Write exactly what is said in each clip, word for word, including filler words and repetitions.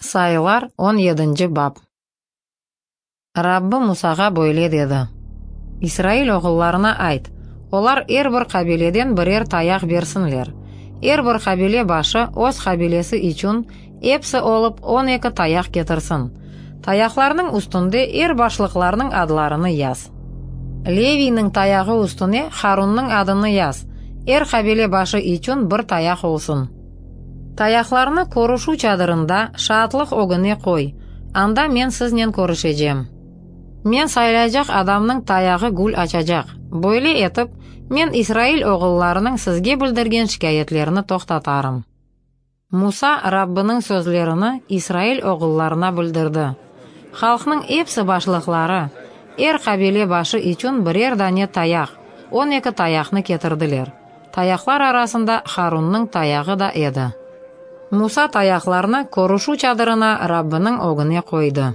Sayılar on yedinci bap. Rabbi Musağa böyle dedi: İsrail oğullarına ayt, olar er bir qabileden birer tayaq bersinler. Er bir qabile başı öz qabilesi içün episi olıp on eki tayaq ketirsin. Tayaqlarnıñ üstünde er başlıqlarnıñ adlarını yaz. Leviyniñ tayağı üstüne Harunnıñ adını yaz, er qabile başı içün bir tayaq olsun. Tayaqlarnı körüşüv çadırında şaatlıq ögüne qoy, anda men siznen körüşecem. Men saylaycaq adamnıñ tayağı gül açacaq. Böyle etip, men İsrail oğullarınıñ sizge bildirgen şikâyetlerini toqtatarım. Musa Rabbiniñ sözlerini İsrail oğullarına bildirdi. Halqnıñ episi başlıqları, er qabile başı içün birer dane tayaq, on eki tayaqnı ketirdiler. Tayaqlar arasında Harunnıñ tayağı da edi. Musa tayaqlarnı körüşüv çadırına Rabbiniñ ögüne qoydı.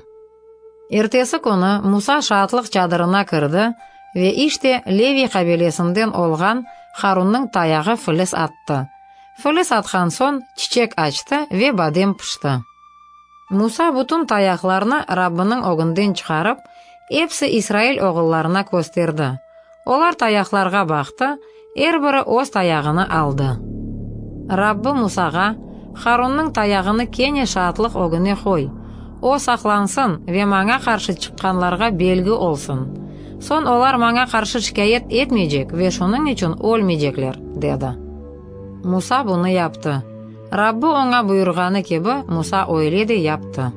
Ertesi künü Musa şaatlıq çadırına kirdi ve işte Levi qabilesinden olğan Harunnıñ tayağı filis attı. Filis atqan soñ çiçek açtı ve badem pişti. Musa bütün tayaqlarnı Rabbiniñ ögünden çıqarıp, episi İsrail oğullarına kösterdi. Olar tayaqlarğa baqtı, er biri öz tayağını aldı. Rabbi Musağa, Harunnıñ tayağını kene şaatlıq ögüne qoy. O saqlansın ve maña qarşı çıqqanlarğa belgi olsun. Soñ olar maña qarşı şikâyet etmeycek ve şunıñ içün ölmeycekler, dedi. Musa bunı yaptı. Rabbi oña buyurğanı kibi Musa öyle de yaptı.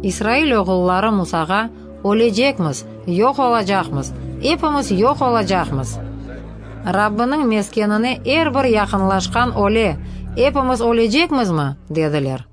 İsrail oğulları Musağa, ölecekmiz, yoq olacaqmız, epimiz yoq olacaqmız. Rabbiniñ meskenine er bir yaqınlaşqan öle, epimiz ölecekmizmi, dediler.